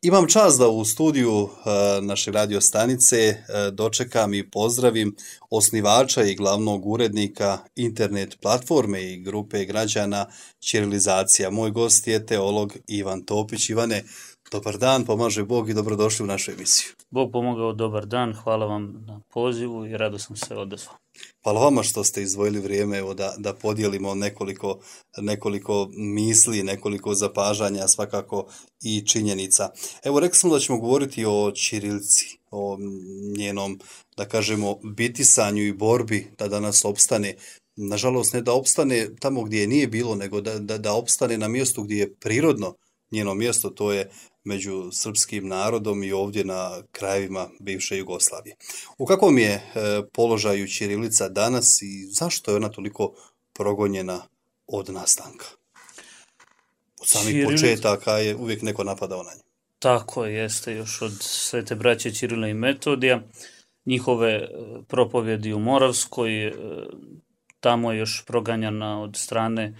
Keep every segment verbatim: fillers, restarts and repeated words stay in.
Imam čast da u studiju uh, naše radio stanice uh, dočekam i pozdravim osnivača i glavnog urednika internet platforme i grupe građana Ćirilizacija. Moj gost je teolog Ivan Topić. Ivane, dobar dan, pomaže Bog i dobrodošli u našu emisiju. Bog pomogao, dobar dan, hvala vam na pozivu i rado sam se odazvao. Hvala vama što ste izdvojili vrijeme evo, da, da podijelimo nekoliko, nekoliko misli, nekoliko zapažanja, svakako i činjenica. Evo, rekli smo da ćemo govoriti o ćirilici, o njenom, da kažemo, bitisanju i borbi da danas opstane. Nažalost, ne da opstane tamo gdje je nije bilo, nego da, da, da opstane na mjestu gdje je prirodno njeno mjesto, to je među srpskim narodom i ovdje na krajevima bivše Jugoslavije. U kakvom je e, položaju ćirilica danas i zašto je ona toliko progonjena od nastanka? Od samih Čirilic... početaka je uvijek neko napadao na nju. Tako jeste, još od Svete braće Ćirila i Metodija, njihove propovjedi u Moravskoj, tamo je još proganjana od strane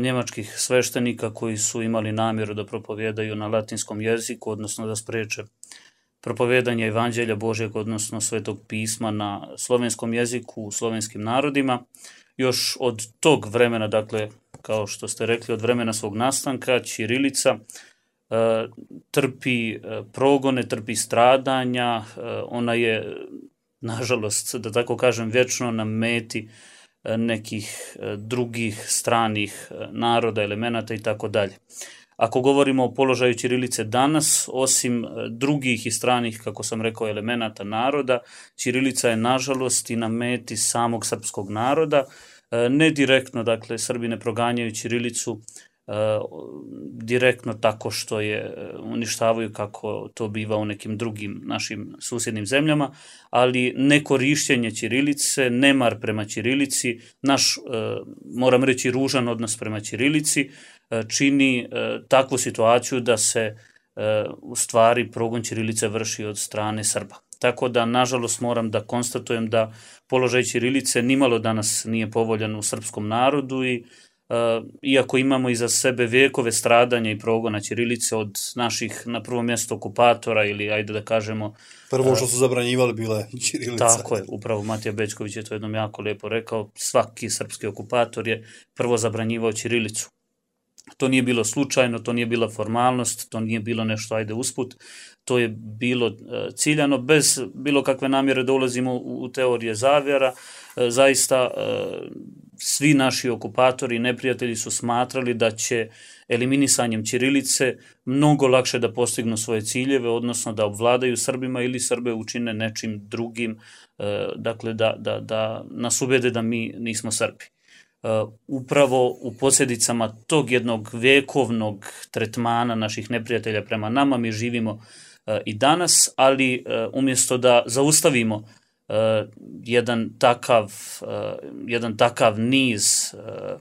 njemačkih sveštenika koji su imali namjeru da propovjedaju na latinskom jeziku, odnosno da spriječe propovjedanje Evanđelja Božjeg, odnosno Svetog pisma na slovenskom jeziku, u slovenskim narodima. Još od tog vremena, dakle, kao što ste rekli, od vremena svog nastanka, ćirilica e, trpi progone, trpi stradanja, e, ona je, nažalost, da tako kažem, vječno na meti nekih drugih stranih naroda, elemenata i tako dalje. Ako govorimo o položaju ćirilice danas, osim drugih i stranih, kako sam rekao, elemenata naroda, ćirilica je nažalost i na meti samog srpskog naroda. Ne direktno, dakle, Srbi ne proganjaju ćirilicu direktno tako što je uništavaju kako to biva u nekim drugim našim susjednim zemljama, ali nekorištenje ćirilice, nemar prema ćirilici, naš, moram reći, ružan odnos prema ćirilici čini takvu situaciju da se u stvari progon ćirilice vrši od strane Srba. Tako da, nažalost, moram da konstatujem da položaj ćirilice nimalo danas nije povoljan u srpskom narodu i Uh, iako imamo iza sebe vijekove stradanja i progona ćirilice od naših, na prvo mjesto, okupatora ili, ajde da kažemo... Prvo što su zabranjivali bila je ćirilica. Tako je, upravo Matija Bećković je to jednom jako lijepo rekao, svaki srpski okupator je prvo zabranjivao ćirilicu. To nije bilo slučajno, to nije bila formalnost, to nije bilo nešto, ajde, usput, to je bilo uh, ciljano, bez bilo kakve namjere da ulazimo u, u teorije zavjera. Uh, zaista... Uh, Svi naši okupatori i neprijatelji su smatrali da će eliminisanjem ćirilice mnogo lakše da postignu svoje ciljeve, odnosno da obvladaju Srbima ili Srbe učine nečim drugim, dakle da, da, da nas ubede da mi nismo Srbi. Upravo u posljedicama tog jednog vekovnog tretmana naših neprijatelja prema nama mi živimo i danas, ali umjesto da zaustavimo Uh, jedan takav uh, jedan takav niz uh,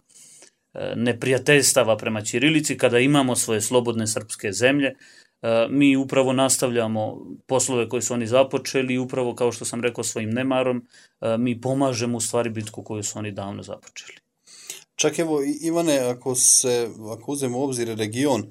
neprijateljstava prema ćirilici, kada imamo svoje slobodne srpske zemlje, uh, mi upravo nastavljamo poslove koje su oni započeli i upravo, kao što sam rekao, svojim nemarom uh, mi pomažemo u stvari bitku koju su oni davno započeli. Čak evo, Ivane, ako se ako uzmemo u obzir region,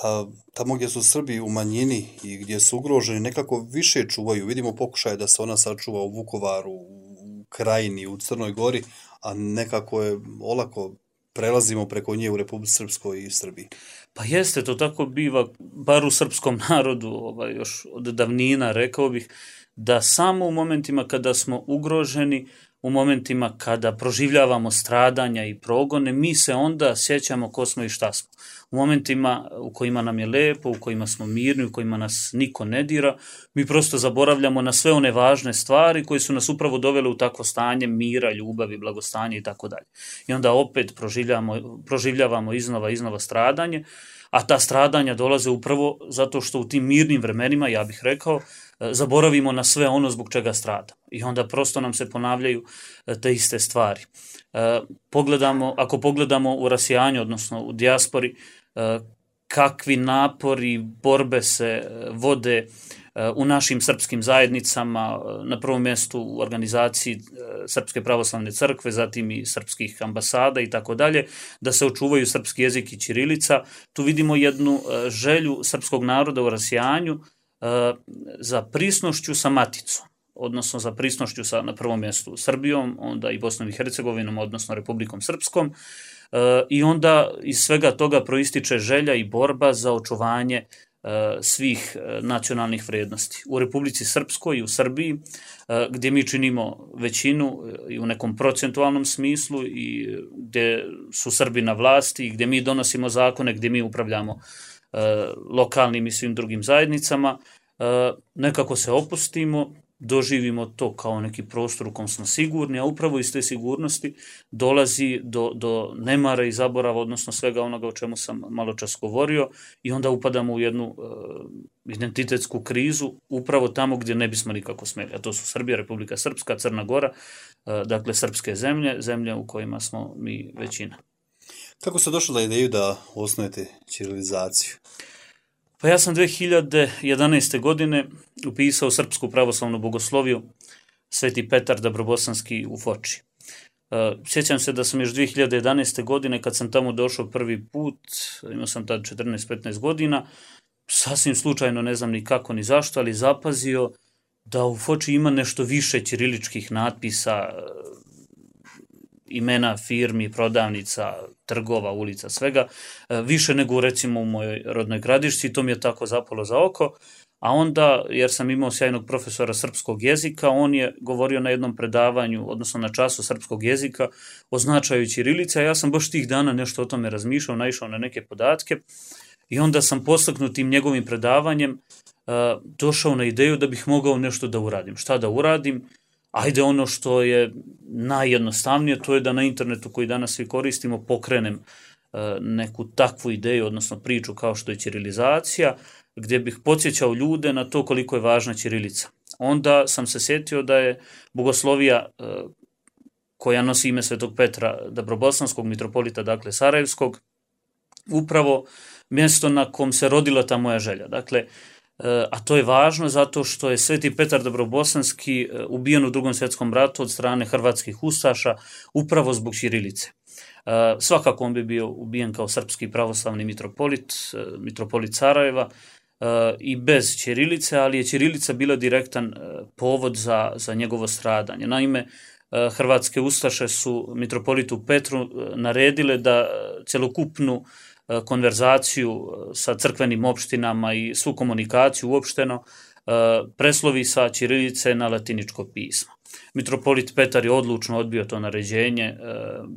a tamo gdje su Srbi u manjini i gdje su ugroženi, nekako više čuvaju. Vidimo pokušaje da se ona sačuva u Vukovaru, u Krajini, u Crnoj Gori, a nekako je olako prelazimo preko nje u Republici Srpskoj i Srbiji. Pa jeste, to tako biva, bar u srpskom narodu, ovaj, još od davnina, rekao bih, da samo u momentima kada smo ugroženi, u momentima kada proživljavamo stradanja i progone, mi se onda sjećamo ko smo i šta smo. U momentima u kojima nam je lepo, u kojima smo mirni, u kojima nas niko ne dira, mi prosto zaboravljamo na sve one važne stvari koje su nas upravo dovele u takvo stanje mira, ljubavi, blagostanja i tako dalje. I onda opet proživljavamo, proživljavamo iznova, iznova stradanje, a ta stradanja dolaze upravo zato što u tim mirnim vremenima, ja bih rekao, zaboravimo na sve ono zbog čega stradamo. I onda prosto nam se ponavljaju te iste stvari. Pogledamo, ako pogledamo u rasijanju, odnosno u dijaspori, kakvi napori, borbe se vode u našim srpskim zajednicama, na prvom mjestu u organizaciji Srpske pravoslavne crkve, zatim i srpskih ambasada i tako dalje, da se očuvaju srpski jezik i ćirilica. Tu vidimo jednu želju srpskog naroda u rasijanju za prisnošću sa maticom, odnosno za prisnošću sa, na prvom mjestu Srbijom, onda i Bosnom i Hercegovinom, odnosno Republikom Srpskom, i onda iz svega toga proističe želja i borba za očuvanje svih nacionalnih vrijednosti. U Republici Srpskoj i u Srbiji, gdje mi činimo većinu i u nekom procentualnom smislu i gdje su Srbi na vlasti i gdje mi donosimo zakone, gdje mi upravljamo lokalnim i svim drugim zajednicama, nekako se opustimo, doživimo to kao neki prostor u kom smo sigurni, a upravo iz te sigurnosti dolazi do, do nemara i zaborava, odnosno svega onoga o čemu sam malo čas govorio, i onda upadamo u jednu uh, identitetsku krizu upravo tamo gdje ne bismo nikako smeli, a to su Srbija, Republika Srpska, Crna Gora, uh, dakle srpske zemlje, zemlje u kojima smo mi većina. Kako ste došli na ideju da osnujete ćirilizaciju? Pa ja sam dve hiljade jedanaeste. godine upisao Srpsku pravoslavnu bogosloviju Sveti Petar Dabrobosanski u Foči. Sjećam se da sam još dve hiljade jedanaeste. godine, kad sam tamo došao prvi put, imao sam tad četrnaest petnaest godina, sasvim slučajno, ne znam ni kako ni zašto, ali zapazio da u Foči ima nešto više ćiriličkih natpisa, imena firmi, prodavnica, trgova, ulica, svega, više nego recimo u mojoj rodnoj Gradišci, to mi je tako zapalo za oko, a onda, jer sam imao sjajnog profesora srpskog jezika, on je govorio na jednom predavanju, odnosno na času srpskog jezika, o značaju ćirilice, a ja sam baš tih dana nešto o tome razmišljao, naišao na neke podatke, i onda sam postaknut tim njegovim predavanjem uh, došao na ideju da bih mogao nešto da uradim. Šta da uradim? Ajde, ono što je najjednostavnije, to je da na internetu koji danas svi koristimo pokrenem uh, neku takvu ideju, odnosno priču kao što je ćirilizacija, gdje bih podsjećao ljude na to koliko je važna ćirilica. Onda sam se sjetio da je bogoslovija uh, koja nosi ime Svetog Petra Dabrobosanskog, mitropolita, dakle Sarajevskog, upravo mjesto na kom se rodila ta moja želja. Dakle, a to je važno zato što je Sveti Petar Dabrobosanski ubijen u Drugom svjetskom ratu od strane hrvatskih ustaša upravo zbog ćirilice. Svakako on bi bio ubijen kao srpski pravoslavni mitropolit, mitropolit Sarajeva, i bez ćirilice, ali je ćirilica bila direktan povod za, za njegovo stradanje. Naime, hrvatske ustaše su mitropolitu Petru naredile da celokupnu konverzaciju sa crkvenim opštinama i svu komunikaciju uopšteno preslovi sa ćirilice na latiničko pismo. Mitropolit Petar je odlučno odbio to naređenje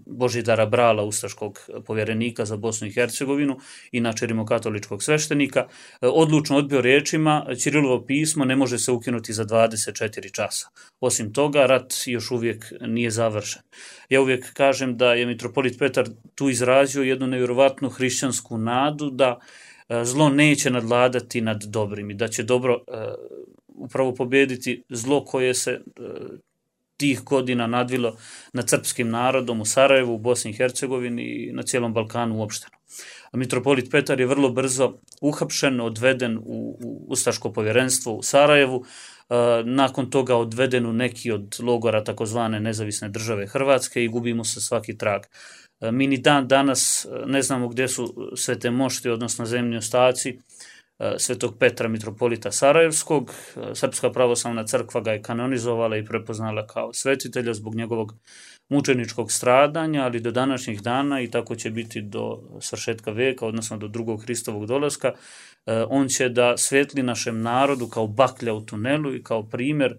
Božidara Brala, ustaškog povjerenika za Bosnu i Hercegovinu, inače rimokatoličkog sveštenika, odlučno odbio riječima: ćirilovo pismo ne može se ukinuti za dvadeset četiri časa. Osim toga, rat još uvijek nije završen. Ja uvijek kažem da je mitropolit Petar tu izrazio jednu nevjerovatnu hrišćansku nadu da zlo neće nadvladati nad dobrim i da će dobro uh, upravo pobijediti zlo koje se uh, tih godina nadvilo nad srpskim narodom u Sarajevu, u Bosni i Hercegovini i na cijelom Balkanu uopšteno. A mitropolit Petar je vrlo brzo uhapšen, odveden u, u ustaško povjerenstvo u Sarajevu, uh, nakon toga odveden u neki od logora takozvane nezavisne države Hrvatske i gubimo se svaki trag. Mi ni dan danas ne znamo gdje su svete mošti, odnosno zemlji ostaci Svetog Petra mitropolita Sarajevskog. Srpska pravoslavna crkva ga je kanonizovala i prepoznala kao svetitelja zbog njegovog mučeničkog stradanja, ali do današnjih dana, i tako će biti do svršetka vijeka, odnosno do drugog Hristovog dolaska, on će da svetli našem narodu kao baklja u tunelu i kao primjer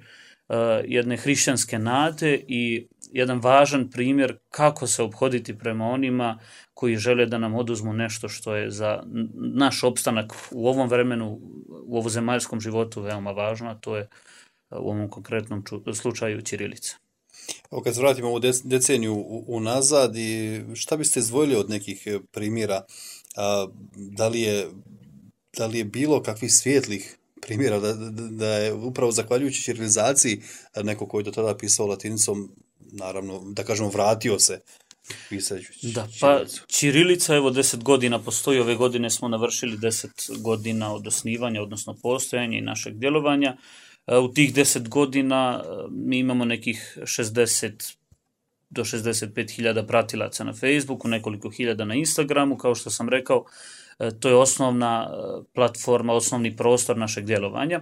jedne hrišćanske nade i jedan važan primjer kako se ophoditi prema onima koji žele da nam oduzmu nešto što je za naš opstanak u ovom vremenu, u ovozemaljskom životu veoma važno, a to je u ovom konkretnom slučaju ćirilica. Evo, kad se vratimo ovu deceniju unazad, i šta biste izdvojili od nekih primjera? A, da li je, da li je bilo kakvih svijetlih primjera da, da, da je upravo zahvaljujući ćirilizaciji neko koji je do tada pisao latinicom, naravno, da kažemo, vratio se pisajući Da, pa ćirilicu? ćirilica evo deset godina postoji, ove godine smo navršili deset godina od osnivanja, odnosno postojanja i našeg djelovanja. U tih deset godina mi imamo nekih šezdeset do šezdeset pet hiljada pratilaca na Facebooku, nekoliko hiljada na Instagramu, kao što sam rekao, to je osnovna platforma, osnovni prostor našeg djelovanja.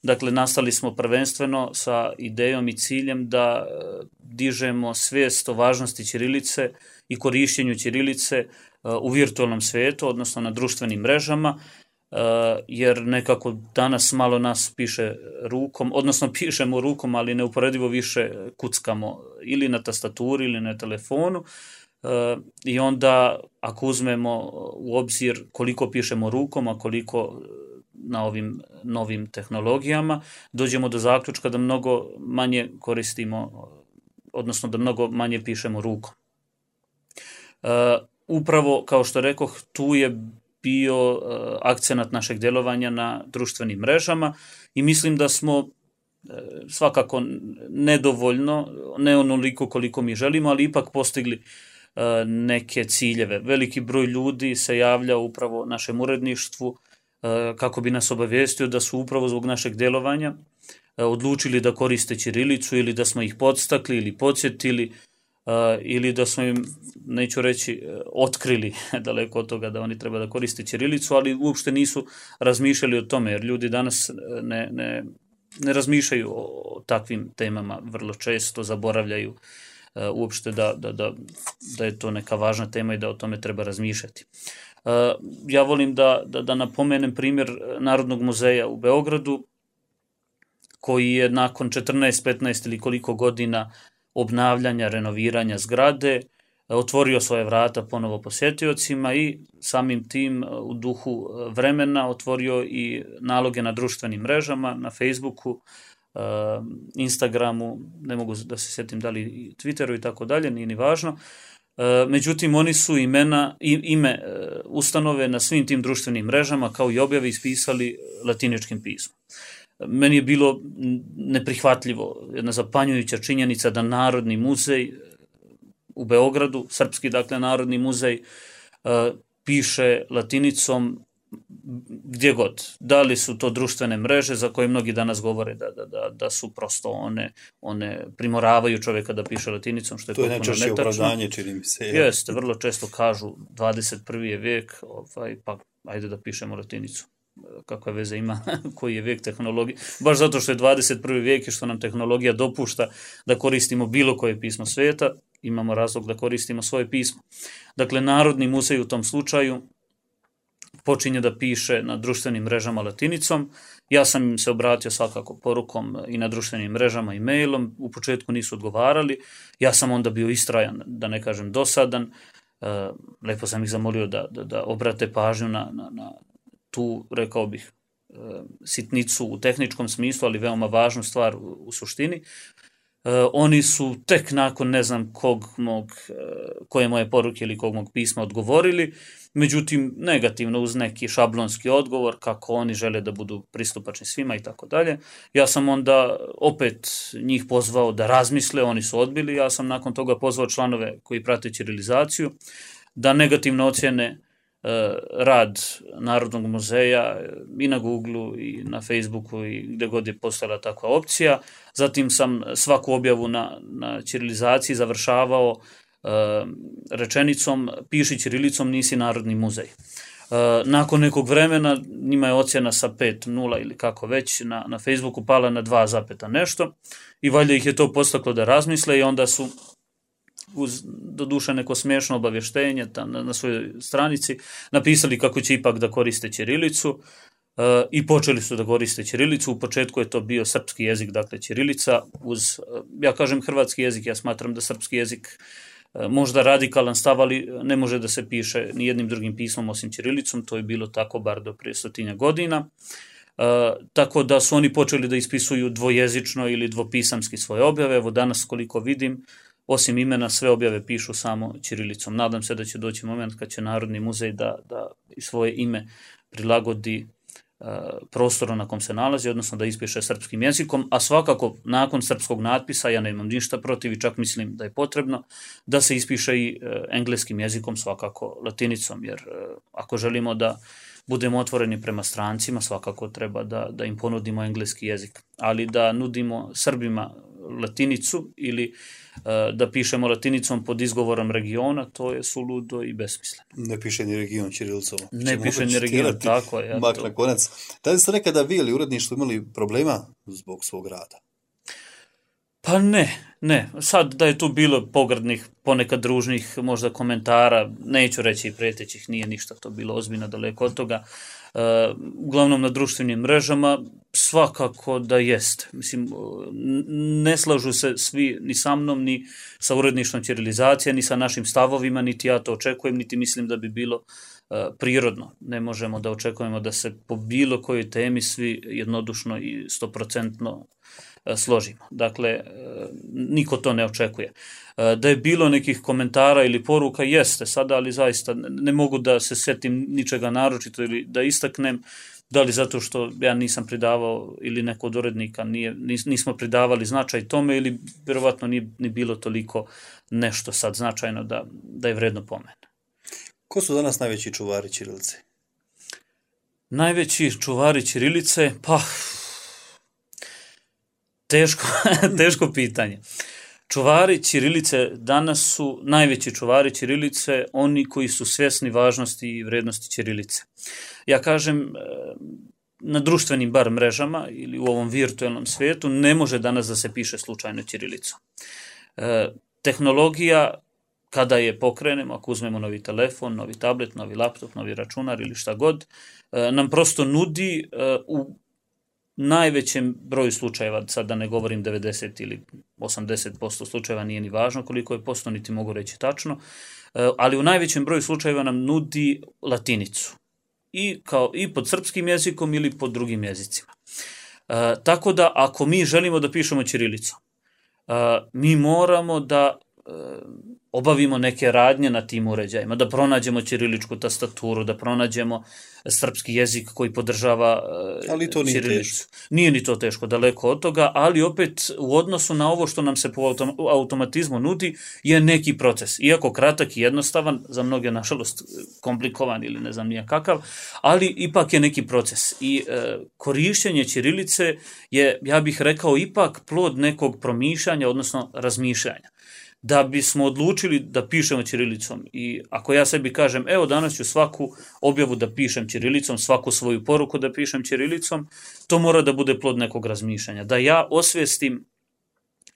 Dakle, nastali smo prvenstveno sa idejom i ciljem da dižemo svijest o važnosti ćirilice i korištenju ćirilice u virtualnom svijetu, odnosno na društvenim mrežama, jer nekako danas malo nas piše rukom, odnosno pišemo rukom, ali neuporedivo više kuckamo ili na tastaturi ili na telefonu. I onda ako uzmemo u obzir koliko pišemo rukom, a koliko na ovim novim tehnologijama, dođemo do zaključka da mnogo manje koristimo, odnosno da mnogo manje pišemo rukom. Upravo, kao što rekoh, tu je bio akcenat našeg djelovanja na društvenim mrežama i mislim da smo svakako nedovoljno, ne onoliko koliko mi želimo, ali ipak postigli neke ciljeve. Veliki broj ljudi se javlja upravo našem uredništvu kako bi nas obavijestio da su upravo zbog našeg djelovanja odlučili da koriste ćirilicu ili da smo ih podstakli ili podsjetili ili da smo im, neću reći, otkrili daleko od toga da oni treba da koriste ćirilicu, ali uopšte nisu razmišljali o tome, jer ljudi danas ne, ne, ne razmišljaju o takvim temama, vrlo često zaboravljaju uopšte da, da, da, da je to neka važna tema i da o tome treba razmišljati. Ja volim da, da, da napomenem primjer Narodnog muzeja u Beogradu, koji je nakon četrnaest, petnaest ili koliko godina obnavljanja, renoviranja zgrade, otvorio svoje vrata ponovo posjetiocima i samim tim u duhu vremena otvorio i naloge na društvenim mrežama, na Facebooku, Instagramu, ne mogu da se sjetim da li Twitteru i tako dalje, nije ni važno. Međutim, oni su imena, ime ustanove na svim tim društvenim mrežama kao i objave ispisali latiničkim pismom. Meni je bilo neprihvatljivo, jedna zapanjujuća činjenica da Narodni muzej u Beogradu, srpski dakle Narodni muzej, piše latinicom gdje god. Da li su to društvene mreže za koje mnogi danas govore da, da, da, da su prosto one, one primoravaju čovjeka da piše latinicom, što je potpuno netačno. To je najčešće opravdanje, čini mi se. Jeste, vrlo često kažu dvadeset prvi je vijek, ovaj, pa ajde da pišemo latinicom. Kakva veze ima koji je vijek tehnologije, baš zato što je dvadeset prvi vijek i što nam tehnologija dopušta da koristimo bilo koje pismo svijeta, imamo razlog da koristimo svoje pismo. Dakle, Narodni muzej u tom slučaju počinje da piše na društvenim mrežama latinicom. Ja sam im se obratio svakako porukom i na društvenim mrežama i mailom, u početku nisu odgovarali, ja sam onda bio istrajan, da ne kažem dosadan, lepo sam ih zamolio da, da, da obrate pažnju na, na, na tu, rekao bih, sitnicu u tehničkom smislu, ali veoma važnu stvar u, u suštini. Oni su tek nakon ne znam kog mog, koje moje poruke ili kog mog pisma odgovorili, međutim negativno uz neki šablonski odgovor kako oni žele da budu pristupačni svima i tako dalje. Ja sam onda opet njih pozvao da razmisle, oni su odbili, ja sam nakon toga pozvao članove koji prate ćirilizaciju da negativno ocjene rad Narodnog muzeja i na Googleu i na Facebooku i gdje god je postojala takva opcija. Zatim sam svaku objavu na, na ćirilizaciji završavao uh, rečenicom piši ćirilicom, nisi Narodni muzej. Uh, nakon nekog vremena njima je ocjena sa pet nula ili kako već na, na Facebooku pala na dva zapeta nešto i valjda ih je to postaklo da razmisle i onda su uz doduše neko smiješno obavještenje tam na, na svojoj stranici napisali kako će ipak da koriste ćirilicu uh, i počeli su da koriste ćirilicu. U početku je to bio srpski jezik, dakle ćirilica uz, uh, ja kažem hrvatski jezik, ja smatram da srpski jezik uh, možda radikalan stav, ali ne može da se piše ni jednim drugim pismom osim ćirilicom, to je bilo tako bar do prije stotinja godina. Uh, tako da su oni počeli da ispisuju dvojezično ili dvopisamski svoje objave. Evo danas koliko vidim, osim imena, sve objave pišu samo ćirilicom. Nadam se da će doći moment kad će Narodni muzej da, da svoje ime prilagodi prostoru na kom se nalazi, odnosno da ispiše srpskim jezikom, a svakako nakon srpskog natpisa, ja nemam ništa protiv i čak mislim da je potrebno, da se ispiše i engleskim jezikom, svakako latinicom, jer ako želimo da budemo otvoreni prema strancima, svakako treba da, da im ponudimo engleski jezik, ali da nudimo Srbima latinicu ili da pišemo latinicom pod izgovorom regiona, to je suludo i besmisleno. Ne piše ni region ćirilicom. Ne piše ni region, tako je. Mak na konac. Da li ste nekada vi ili uredništvo imali problema zbog svog rada? Pa ne, ne. Sad da je tu bilo pogrdnih, ponekad družnih možda komentara, neću reći i pretećih, nije ništa to bilo ozbiljno daleko od toga. Uh, uglavnom na društvenim mrežama svakako da jest. Mislim, ne slažu se svi ni sa mnom, ni sa uredništvom ćirilizacije, ni sa našim stavovima, niti ja to očekujem, niti mislim da bi bilo uh, prirodno. Ne možemo da očekujemo da se po bilo kojoj temi svi jednodušno i stoprocentno složimo. Dakle, niko to ne očekuje. Da je bilo nekih komentara ili poruka, jeste sada, ali zaista ne mogu da se setim ničega naročito ili da istaknem, da li zato što ja nisam pridavao ili neko od urednika nije, nismo pridavali značaj tome ili vjerovatno nije ni bilo toliko nešto sad značajno da, da je vredno pomena. Ko su danas najveći čuvari ćirilice? Najveći čuvari ćirilice? Pa... Teško, teško pitanje. Čuvari ćirilice danas su najveći čuvari ćirilice oni koji su svjesni važnosti i vrednosti ćirilice. Ja kažem, na društvenim bar mrežama ili u ovom virtualnom svijetu ne može danas da se piše slučajno ćirilicom. E, tehnologija, kada je pokrenemo, ako uzmemo novi telefon, novi tablet, novi laptop, novi računar ili šta god, e, nam prosto nudi e, u najvećem broju slučajeva, sad da ne govorim devedeset ili osamdeset posto slučajeva, nije ni važno koliko je posto, niti mogu reći tačno, ali u najvećem broju slučajeva nam nudi latinicu. I, kao, i pod srpskim jezikom ili pod drugim jezicima. E, tako da ako mi želimo da pišemo ćirilicom, e, mi moramo da e, obavimo neke radnje na tim uređajima, da pronađemo ćiriličku tastaturu, da pronađemo srpski jezik koji podržava ćirilicu. Ali to nije teško. Nije ni to teško, daleko od toga, ali opet u odnosu na ovo što nam se po automatizmu nudi je neki proces. Iako kratak i jednostavan, za mnoge nažalost komplikovan ili ne znam nije kakav, ali ipak je neki proces. I e, korišćenje ćirilice je, ja bih rekao, ipak plod nekog promišljanja, odnosno razmišljanja. Da bismo odlučili da pišemo ćirilicom i ako ja sebi kažem, evo danas ću svaku objavu da pišem ćirilicom, svaku svoju poruku da pišem ćirilicom, to mora da bude plod nekog razmišljanja. Da ja osvjestim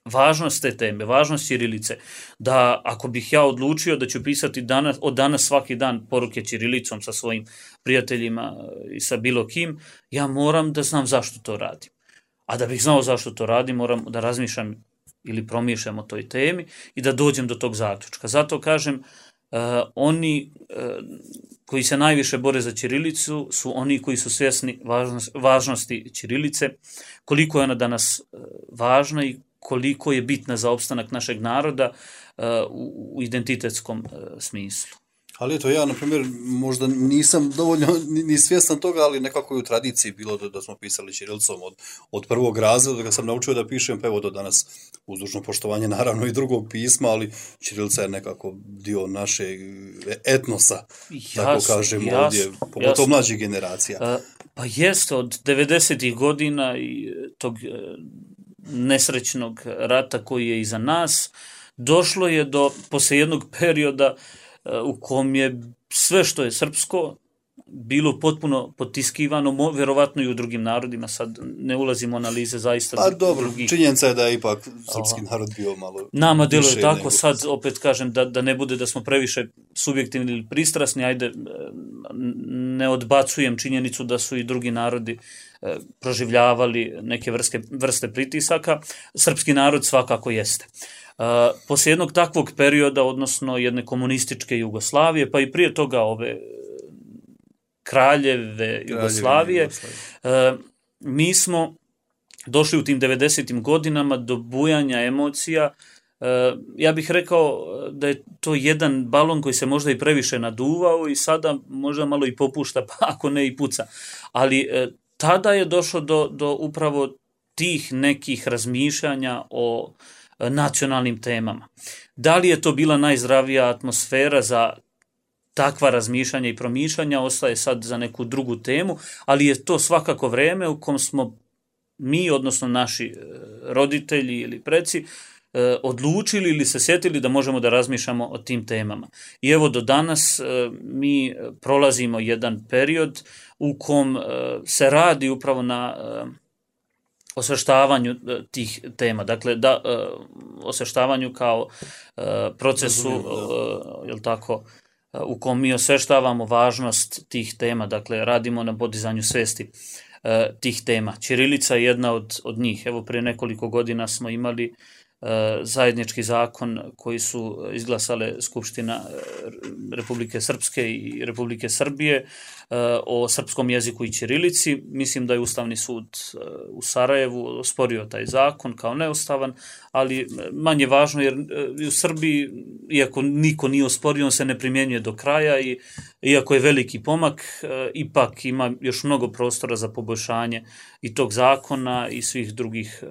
važnost te teme, važnost ćirilice, da ako bih ja odlučio da ću pisati danas, od danas svaki dan poruke ćirilicom sa svojim prijateljima i sa bilo kim, ja moram da znam zašto to radim. A da bih znao zašto to radim, moram da razmišljam ili promišljam o toj temi i da dođem do tog zaključka. Zato kažem, uh, oni uh, koji se najviše bore za ćirilicu su oni koji su svjesni važnost, važnosti ćirilice, koliko je ona danas uh, važna i koliko je bitna za opstanak našeg naroda uh, u, u identitetskom uh, smislu. Ali eto, ja, na primjer, možda nisam dovoljno ni svjestan toga, ali nekako je u tradiciji bilo da, da smo pisali ćirilicom od, od prvog razreda, da ga sam naučio da pišem, pa evo do danas uz dužno poštovanje naravno i drugog pisma, ali ćirilica je nekako dio našeg etnosa, jasno, tako kažemo jasno, ovdje, pogotovo jasno. Mlađih generacija. A, pa jeste, od devedesetih godina i tog nesrećnog rata koji je iza nas, došlo je do, posle jednog perioda, u kom je sve što je srpsko bilo potpuno potiskivano, verovatno i u drugim narodima, sad ne ulazimo u analize zaista. Pa dobro, drugih. Činjenica je da je ipak srpski narod bio malo... Nama deluje tako, nego... sad opet kažem da, da ne bude da smo previše subjektivni ili pristrasni, ajde ne odbacujem činjenicu da su i drugi narodi e, proživljavali neke vrste, vrste pritisaka, srpski narod svakako jeste. Uh, poslije jednog takvog perioda, odnosno jedne komunističke Jugoslavije, pa i prije toga ove kraljeve Jugoslavije, Jugoslavije. Uh, mi smo došli u tim devedesetim godinama do bujanja emocija ja bih rekao da je to jedan balon koji se možda i previše naduvao i sada možda malo i popušta, pa ako ne i puca. Ali tada je došlo do, do upravo tih nekih razmišljanja o nacionalnim temama. Da li je to bila najzdravija atmosfera za takva razmišljanja i promišljanja, ostaje sad za neku drugu temu, ali je to svakako vreme u kom smo mi, odnosno naši roditelji ili preci, odlučili ili se sjetili da možemo da razmišljamo o tim temama. I evo do danas mi prolazimo jedan period u kom se radi upravo na osveštavanju tih tema. Dakle, da, osveštavanju kao procesu, jel tako, u kom mi osveštavamo važnost tih tema, dakle radimo na podizanju svesti e, tih tema. Ćirilica je jedna od, od njih. Evo prije nekoliko godina smo imali e, zajednički zakon koji su izglasale Skupština Republike Srpske i Republike Srbije e, o srpskom jeziku i ćirilici. Mislim da je Ustavni sud e, u Sarajevu osporio taj zakon kao neustavan, ali manje važno jer e, u Srbiji, iako niko nije osporio, on se ne primjenjuje do kraja i iako je veliki pomak, e, ipak ima još mnogo prostora za poboljšanje i tog zakona i svih drugih e,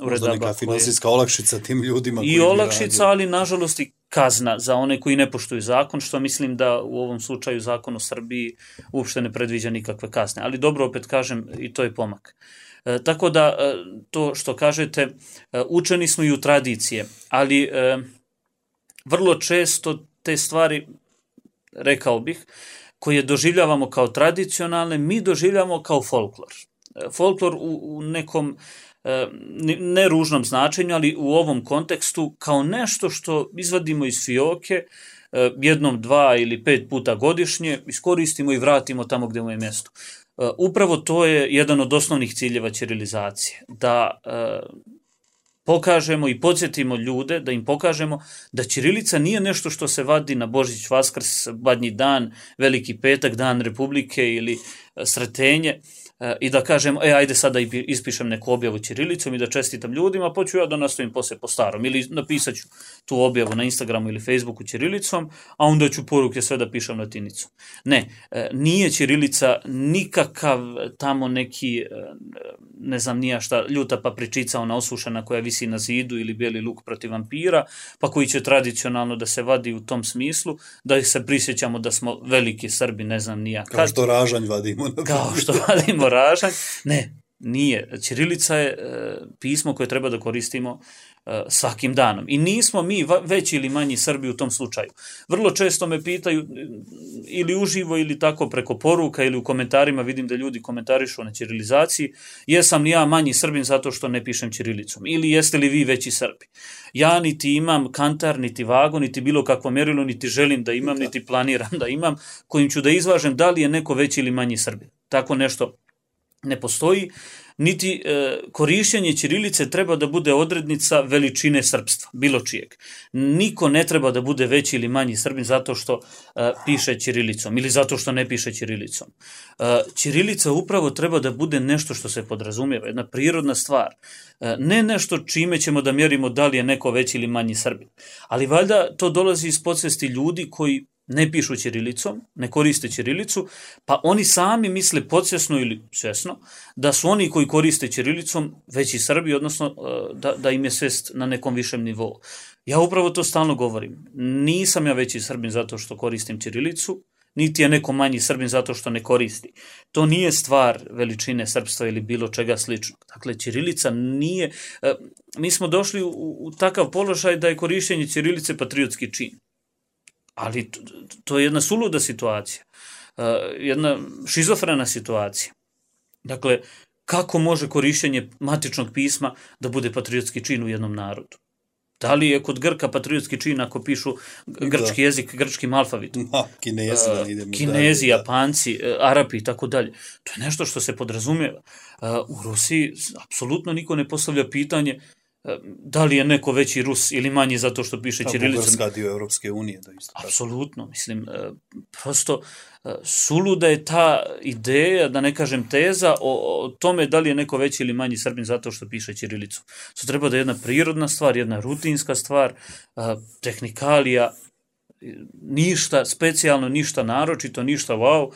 uredaba. Možda neka finansijska olakšica tim ljudima. I olakšica, ali nažalost i kazna za one koji ne poštuju zakon, što mislim da u ovom slučaju zakon u Srbiji uopšte ne predviđa nikakve kazne. Ali dobro, opet kažem, i to je pomak. E, tako da, e, to što kažete, e, učeni smo i u tradicije, ali e, vrlo često te stvari, rekao bih, koje doživljavamo kao tradicionalne, mi doživljavamo kao folklor. E, folklor u, u nekom ne ružnom značenju, ali u ovom kontekstu kao nešto što izvadimo iz fioke jednom, dva ili pet puta godišnje, iskoristimo i vratimo tamo gdje mu je mjesto. Upravo to je jedan od osnovnih ciljeva ćirilizacije, da pokažemo i podsjetimo ljude, da im pokažemo da ćirilica nije nešto što se vadi na Božić, Vaskrs, Badnji dan, Veliki petak, Dan Republike ili Sretenje, i da kažem, e, ajde sad da ispišem neku objavu ćirilicom i da čestitam ljudima, pa ću ja da nastavim posle po starom. Ili napisat ću tu objavu na Instagramu ili Facebooku ćirilicom, a onda ću poruke sve da pišem latinicom. Ne, nije ćirilica nikakav tamo neki, ne znam nija šta, ljuta papričica, ona osušena koja visi na zidu ili bijeli luk protiv vampira, pa koji će tradicionalno da se vadi u tom smislu, da se prisjećamo da smo veliki Srbi, ne znam nija. Kao Kad, što ražanj vadimo. Kao što vadimo ražanj. Ne, nije. Ćirilica je e, pismo koje treba da koristimo e, svakim danom. I nismo mi va, veći ili manji Srbi u tom slučaju. Vrlo često me pitaju ili uživo ili tako preko poruka ili u komentarima, vidim da ljudi komentarišu na ćirilizaciji, jesam li ja manji Srbin zato što ne pišem ćirilicom? Ili jeste li vi veći Srbi? Ja niti imam kantar, niti vagu, niti bilo kakvo mjerilo, niti želim da imam, niti planiram da imam, kojim ću da izvažem da li je neko veći ili manji Srbin. Tako nešto ne postoji, niti e, korištenje ćirilice treba da bude odrednica veličine srpstva, bilo čijeg. Niko ne treba da bude veći ili manji Srbin zato što e, piše ćirilicom ili zato što ne piše ćirilicom. E, ćirilica upravo treba da bude nešto što se podrazumijeva, jedna prirodna stvar. E, ne nešto čime ćemo da mjerimo da li je neko veći ili manji Srbin. Ali valjda to dolazi iz podsvesti ljudi koji ne pišu ćirilicom, ne koriste ćirilicu, pa oni sami misle podsvjesno ili svjesno da su oni koji koriste ćirilicom veći Srbi, odnosno da, da im je svest na nekom višem nivou. Ja upravo to stalno govorim. Nisam ja veći Srbin zato što koristim ćirilicu, niti je neko manji Srbin zato što ne koristi. To nije stvar veličine srpstva ili bilo čega sličnog. Dakle, ćirilica nije... Mi smo došli u, u takav položaj da je korištenje ćirilice patriotski čin. Ali to, to je jedna suluda situacija, jedna šizofrena situacija. Dakle, kako može korištenje matičnog pisma da bude patriotski čin u jednom narodu? Da li je kod Grka patriotski čin ako pišu grčki da. jezik, grčkim alfabetom? No, kinezi, da idemo kinezi, da, Japanci, Arapi i tako dalje. To je nešto što se podrazumijeva. U Rusiji apsolutno niko ne postavlja pitanje da li je neko veći Rus ili manji zato što piše ćirilicom. Bugarska dio Europske unije. Da isto tako. Apsolutno, mislim, prosto suluda je ta ideja, da ne kažem teza, o, o tome da li je neko veći ili manji Srbin zato što piše ćirilicom. To treba da je jedna prirodna stvar, jedna rutinska stvar, tehnikalija, ništa specijalno, ništa naročito, ništa wow,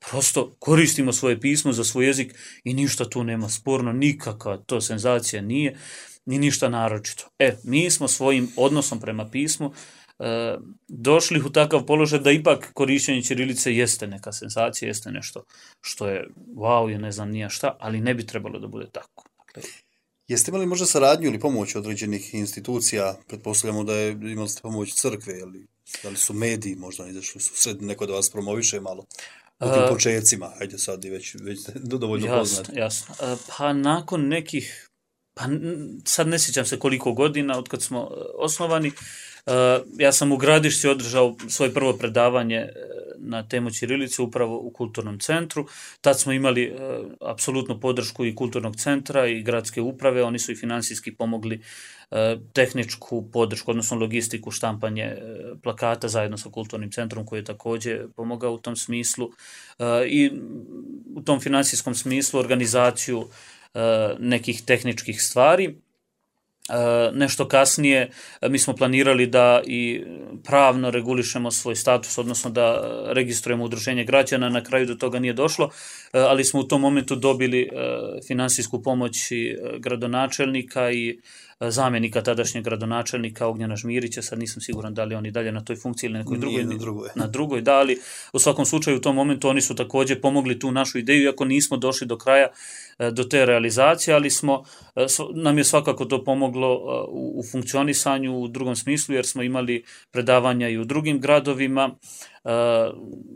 prosto koristimo svoje pismo za svoj jezik i ništa tu nema sporno, nikakva to senzacija nije, ni ništa naročito. E, mi smo svojim odnosom prema pismu e, došli u takav položaj da ipak korišćenje ćirilice jeste neka senzacija, jeste nešto što je wow, je ne znam nija šta, ali ne bi trebalo da bude tako. Dakle, jeste imali možda saradnju ili pomoć određenih institucija? Pretpostavljamo da je imali ste pomoć crkve, ili da li su mediji možda izašli su sred neko da vas promoviše malo u tim počecima, hajde sad i već, već dovoljno poznati. Jasno, jasno. Pa nakon nekih, pa sad ne sjećam se koliko godina od kad smo osnovani, ja sam u Gradišci održao svoje prvo predavanje na temu ćirilice upravo u kulturnom centru. Tad smo imali apsolutnu podršku i kulturnog centra i gradske uprave, oni su i finansijski pomogli tehničku podršku, odnosno logistiku, štampanje plakata zajedno sa kulturnim centrom koji je također pomogao u tom smislu i u tom finansijskom smislu organizaciju nekih tehničkih stvari. Nešto kasnije mi smo planirali da i pravno regulišemo svoj status, odnosno da registrujemo udruženje građana, na kraju do toga nije došlo, ali smo u tom momentu dobili finansijsku pomoć i gradonačelnika i zamjenika tadašnjeg gradonačelnika Ognjena Žmirića, sad nisam siguran da li oni dalje na toj funkciji ili nekoj drugoj, na drugoj. Na drugoj, da, ali u svakom slučaju u tom momentu oni su također pomogli tu našu ideju, iako nismo došli do kraja do te realizacije, ali smo, nam je svakako to pomoglo u, u funkcionisanju u drugom smislu, jer smo imali predavanja i u drugim gradovima.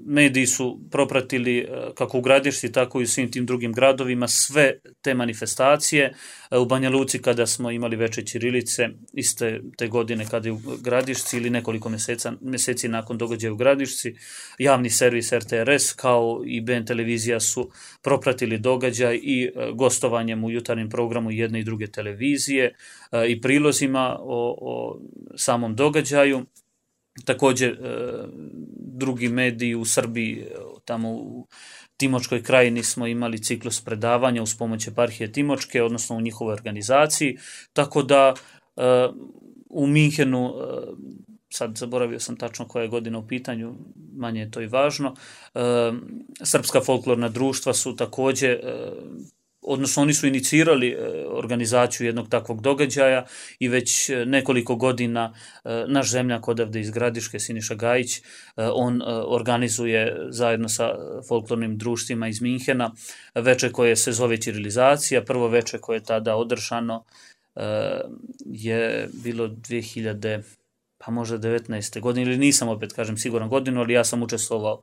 Mediji su propratili kako u Gradišci, tako i u svim tim drugim gradovima sve te manifestacije. U Banja Luci kada smo imali veče ćirilice, iste te godine kada je u Gradišci ili nekoliko mjeseca, mjeseci nakon događaja u Gradišci, javni servis R T R S kao i B N televizija su propratili događaj i gostovanjem u jutarnjem programu jedne i druge televizije i prilozima o, o samom događaju. Također drugi mediji u Srbiji, tamo u Timočkoj krajini smo imali ciklus predavanja uz pomoć eparhije Timočke, odnosno u njihovoj organizaciji, tako da u Minhenu, sad zaboravio sam tačno koja je godina u pitanju, manje je to i važno, srpska folklorna društva su također, odnosno oni su inicirali organizaciju jednog takvog događaja i već nekoliko godina naš zemljak odavde iz Gradiške, Siniša Gajić, on organizuje zajedno sa folklornim društvima iz Minhena veče koje se zove ćirilizacija. Prvo veče koje je tada održano je bilo dvije hiljade, pa možda devetnaeste godine, ili nisam opet kažem siguran godinu, ali ja sam učestvovao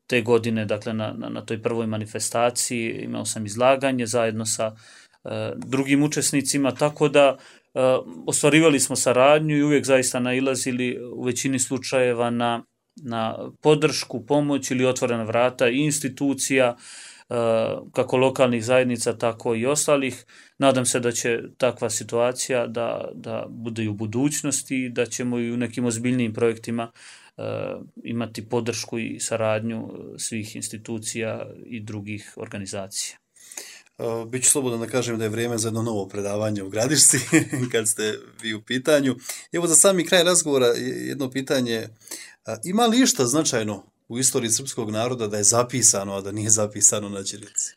te godine, dakle na, na, na toj prvoj manifestaciji, imao sam izlaganje zajedno sa uh, drugim učesnicima, tako da uh, ostvarivali smo saradnju i uvijek zaista nailazili u većini slučajeva na, na podršku, pomoć ili otvorena vrata i institucija, uh, kako lokalnih zajednica, tako i ostalih. Nadam se da će takva situacija da, da bude i u budućnosti i da ćemo i u nekim ozbiljnijim projektima imati podršku i saradnju svih institucija i drugih organizacija. Biću slobodan da kažem da je vrijeme za jedno novo predavanje u Gradišci, kad ste vi u pitanju. Evo za sami kraj razgovora jedno pitanje. Ima li išta značajno u istoriji srpskog naroda da je zapisano, a da nije zapisano na ćirilici?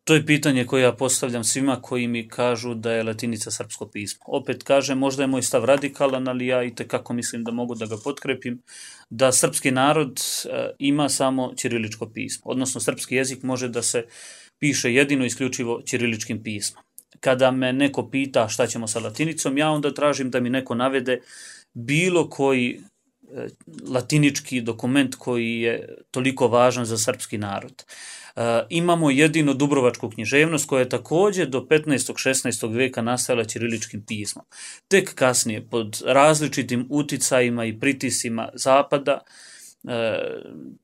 To je pitanje koje ja postavljam svima koji mi kažu da je latinica srpsko pismo. Opet kažem, možda je moj stav radikalan, ali ja i tekako mislim da mogu da ga potkrepim, da srpski narod ima samo ćiriličko pismo, odnosno srpski jezik može da se piše jedino isključivo ćiriličkim pismom. Kada me neko pita šta ćemo sa latinicom, ja onda tražim da mi neko navede bilo koji latinički dokument koji je toliko važan za srpski narod. Uh, imamo jedino Dubrovačku književnost koja je također do petnaestog šesnaestog vijeka nastajala ćiriličkim pismom. Tek kasnije pod različitim uticajima i pritisima zapada, uh,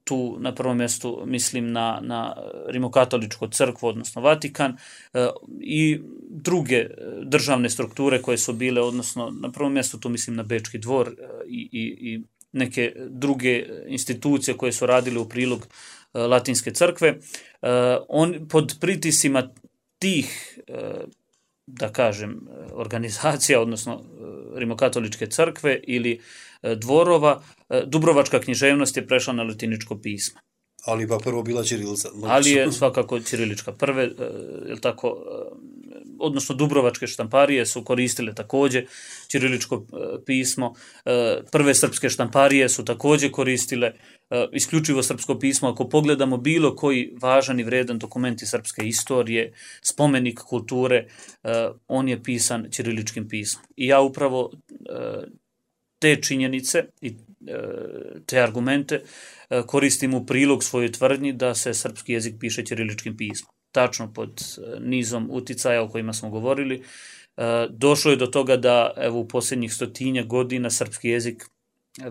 tu na prvom mjestu mislim na, na Rimokatoličku crkvu, odnosno Vatikan, uh, i druge državne strukture koje su bile, odnosno na prvom mjestu tu mislim na Bečki dvor i, i, i neke druge institucije koje su radile u prilog Latinske crkve, on pod pritisima tih, da kažem, organizacija, odnosno Rimokatoličke crkve ili dvorova, dubrovačka književnost je prešla na latiničko pismo. Ali pa prvo bila ćirilica. Ali je svakako ćirilička. Prve, je tako, odnosno dubrovačke štamparije su koristile također ćiriličko pismo. Prve srpske štamparije su također koristile isključivo srpsko pismo. Ako pogledamo bilo koji važan i vredan dokument iz srpske istorije, spomenik kulture, on je pisan ćiriličkim pismom. I ja upravo te činjenice i te argumente koristim u prilog svojoj tvrdnji da se srpski jezik piše ćiriličkim pismom. Tačno pod nizom uticaja o kojima smo govorili, došlo je do toga da evo, u posljednjih stotinja godina srpski jezik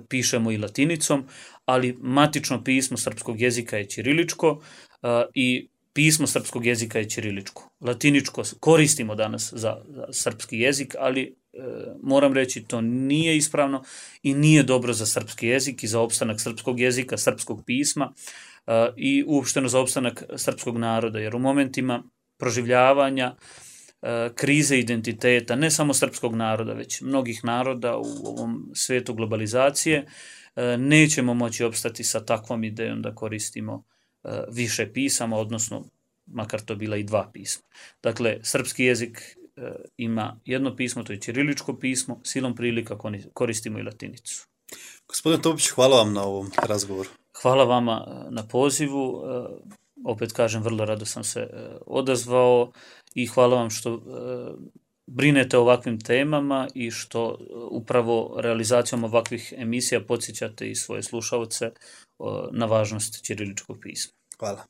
pišemo i latinicom, ali matično pismo srpskog jezika je ćiriličko i pismo srpskog jezika je ćiriličko. Latiničko koristimo danas za, za srpski jezik, ali e, moram reći to nije ispravno i nije dobro za srpski jezik i za opstanak srpskog jezika, srpskog pisma e, i uopšteno za opstanak srpskog naroda, jer u momentima proživljavanja e, krize identiteta, ne samo srpskog naroda, već mnogih naroda u ovom svijetu globalizacije, e, nećemo moći opstati sa takvom idejom da koristimo više pisama, odnosno makar to bila i dva pisma. Dakle, srpski jezik e, ima jedno pismo, to je ćiriličko pismo, silom prilika koristimo i latinicu. Gospodin Topić, hvala vam na ovom razgovoru. Hvala vama na pozivu, e, opet kažem, vrlo rado sam se e, odazvao i hvala vam što e, brinete o ovakvim temama i što upravo realizacijom ovakvih emisija podsjećate i svoje slušalce na važnost ćiriličkog pisma. Hvala.